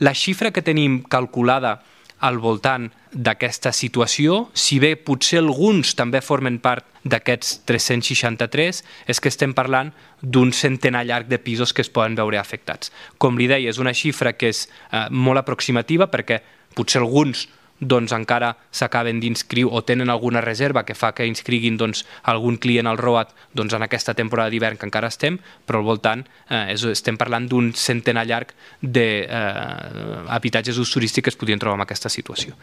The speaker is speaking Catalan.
La xifra que tenim calculada al voltant d'aquesta situació, si bé potser alguns també formen part d'aquests 363, és que estem parlant d'un centenar llarg de pisos que es poden veure afectats. Com li deia, és una xifra que és molt aproximativa perquè potser alguns encara s'acaben d'inscriure o tenen alguna reserva que fa que inscriguin algun client al ROAT en aquesta temporada d'hivern que encara estem, però al voltant estem parlant d'un centenar llarg d'habitatges d'ús turístic que es podrien trobar en aquesta situació.